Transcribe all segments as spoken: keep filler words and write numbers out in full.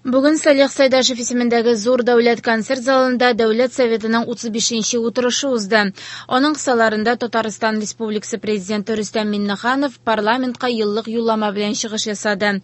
Бүген Салих Сәйдәшев исемендәге Зур дәүләт концерт залында Дәүләт Советының утыз бишенче утырышы узды. Аның кысаларында Татарстан Республикасы Президенты Рөстәм Миңнеханов парламентка еллык юллама белән чыгыш ясады.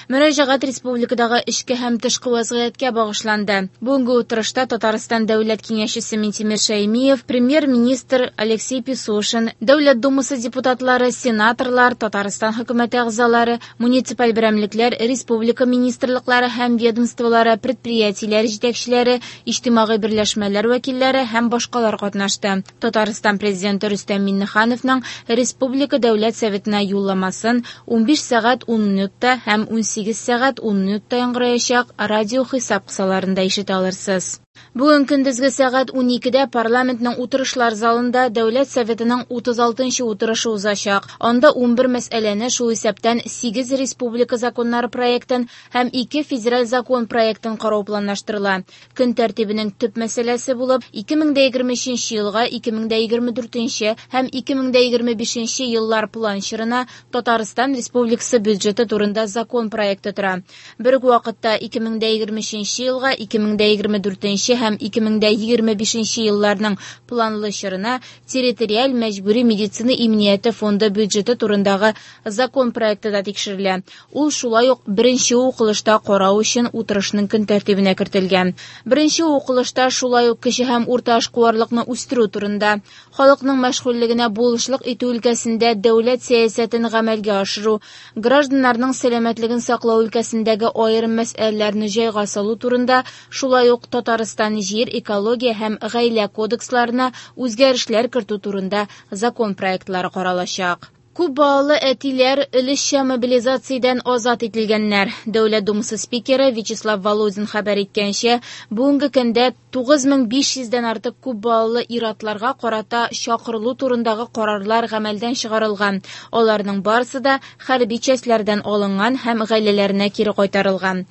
Мөрәҗәгать республикадагы эчке һәм тышкы вазгыятькә багышланды. Бүгенге утырышта Татарстан Дәүләт Киңәшчесе Минтимер Шәймиев, премьер-министр Алексей Песошин, Дәүләт Думасы депутатлары, сенаторлар, Татарстан хөкүмәте әгъзалары, муниципаль берәмлекләр, республика министрлыклары һәм ведомстволары, предприятиеләр җитәкчеләре, иҗтимагый берләшмәләр вәкилләре һәм башкалар катнашты. Татарстан Президенты Рөстәм Миңнехановның Республика Дәүләт Советына юлламасын унбиш сәгать ун минутта һәм унсигез сәгать ун минутта яңгыраячак радио хисап кысаларында ишетә алырсыз. Бүген көндезге сәгать уникедә парламентның утырышлар залында Дәүләт Советының утыз алтынчы утырышы узачак. Анда унбер мәсьәләне, шул исәптән сигез республика законнары проектын һәм ике федераль закон проектын карау планлаштырыла. Көн тәртибенең төп мәсьәләсе булып ике мең дә егерме өченче елга ике мең дә егерме дүртенче һәм ике мең дә егерме бишенче еллар план чорына Татарстан Республикасы бюджеты турында закон проекты тора. Бер үк вакытта ике мең дә егерме өченче елга ике мең дә егерме дүртенче һәм ике мең дә егерме бишенче елларның планлы чорына территориаль мәҗбүри медицина иминияте фонды бюджеты турындагы закон проекты да тикшерелә. Ул шулай ук беренче укылышта карау өчен утырышның көн тәртибенә кертелгән. Беренче укылышта шулай ук кече һәм урта эшкуарлыкны үстерү турында, халыкның мәшгульлегенә булышлык итү өлкәсендә дәүләт сәясәтен гамәлгә ашыру, гражданнарның сәламәтлеген саклау өлкәсендәге аерым мәсьәләләрне җайга салу турында, шулай ук Татарстан җир, экология һәм гаилә кодексларына үзгәрешләр кертү турында закон проектлары каралачак. Күп балалы әтиләр өлешчә мобилизациядән азат ителгәннәр. Дәүләт Думасы спикеры Вячеслав Володин хәбәр иткәнчә, бүгенге көндә тугыз мең биш йөздән артык күп балалы ир-атларга карата чакырылу турындагы карарлар гамәлдән чыгарылган. Аларның барысы да хәрби частьләрдән алынган һәм гаиләләренә кире кайтарылган.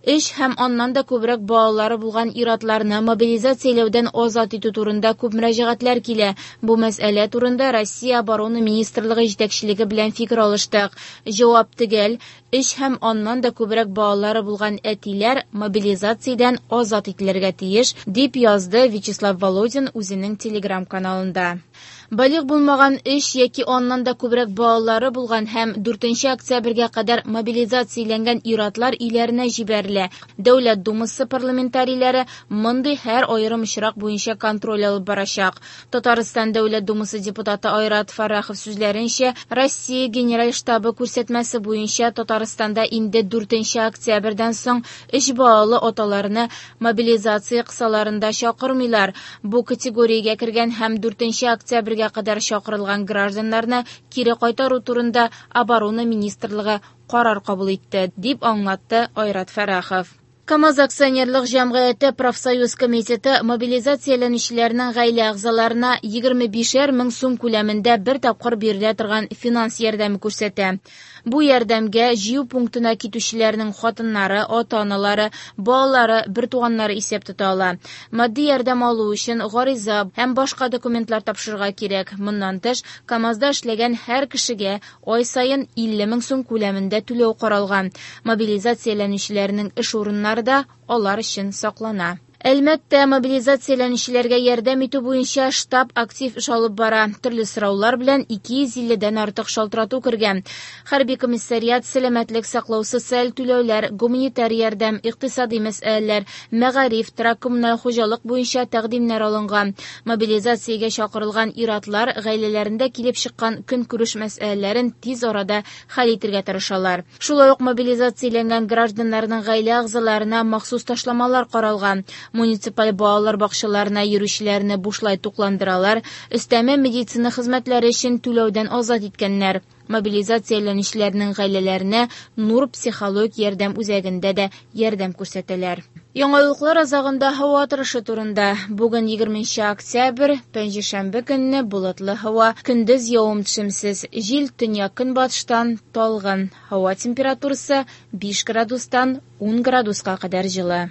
Өч һәм аннан да күбрәк балалары булган ир-атларны мобилизацияләүдән азат итү турында күп мөрәҗәгатьләр килә. Бу мәсьәлә турында Россия Оборона Министрлыгы җитәкчелеге белән фикер алыштык. Җавап төгәл: өч һәм аннан да күбрәк балалары булган әтиләр мобилизациядән азат ителергә тиеш, дип язды Вячеслав Володин үзенең Телеграм-каналында. Балигъ булмаган өч яки аннан да күбрәк балалары булган һәм дүртенче октябрьгә кадәр мобилизацияләнгән ир-атлар өйләренә җибәрелә. Дәүләт Думасы парламентарийлары мондый һәр аерым очрак буенча контроль алып барачак. Татарстан Дәүләт Думасы депутаты Айрат Фаррахов сүзләренчә, Россия Генераль штабы күрсәтмәсе буенча Татарстанда инде дүртенче октябрьдән соң өч балалы аталарны мобилизация кысаларында чакырмыйлар. Бу категориягә кергән һәм дүртенче октябрьгә кадәр чакырылган гражданнарны кире кайтару турында Оборона Министрлыгы карар кабул итте, дип аңлатты Айрат Фәррахов. КАМАЗ акционерлык җәмгыяте профсоюз комитеты мобилизацияләнүчеләрнең гаилә әгъзаларына егерме бишәр мең сум күләмендә бер тапкыр бирелә торган финанс ярдәме күрсәтә. Бу ярдәмгә җыю пунктына китүчеләрнең хатыннары, ата-аналары, балалары, бертуганнары исәп тота ала. Матди ярдәм алу өчен гариза һәм башка документлар тапшырырга кирәк. Моннан тыш, КАМАЗда эшләгән һәр кешегә ай саен илле мең сум күләмендә түләү каралган. Мобилизацияләнүчеләрнең эш урыннары да алар өчен саклана. Әлмәттә мобилизацияләнүчеләргә ярдәм итү буенча штаб актив эш алып бара. Төрле сораулар белән ике йөз илледән артык шалтырату кергән. Хәрби комиссариат, сәламәтлек саклау, социаль түләүләр, гуманитар ярдәм, икътисади мәсьәләләр, мәгариф, торак коммуналь хуҗалык буенча тәкъдимнәр алынган. Мобилизациягә чакырылган ир-атлар гаиләләрендә килеп чыккан көнкүреш мәсьәләләрен тиз арада хәл итәргә тырышалар. Шулай ук мобилизацияләнгән гражданнарның гаилә әгъзаларына махсус ташламалар каралган. Муниципаль балалар бакчаларына йөрүчеләрне бушлай тукландыралар, өстәмә медицина хезмәтләре өчен түләүдән азат иткәннәр. Мобилизацияләнүчеләрнең гаиләләренә Нур психологик ярдәм үзәгендә дә ярдәм күрсәтәләр. Яңалыклар азагында һава торышы турында. Бүген егерменче октябрь, пәнҗешәмбе көнне болытлы һава, көндез явым-төшемсез, җил төньяк-көнбатыштан талгын. Һава температурасы биш градустан ун градуска кадәр җылы.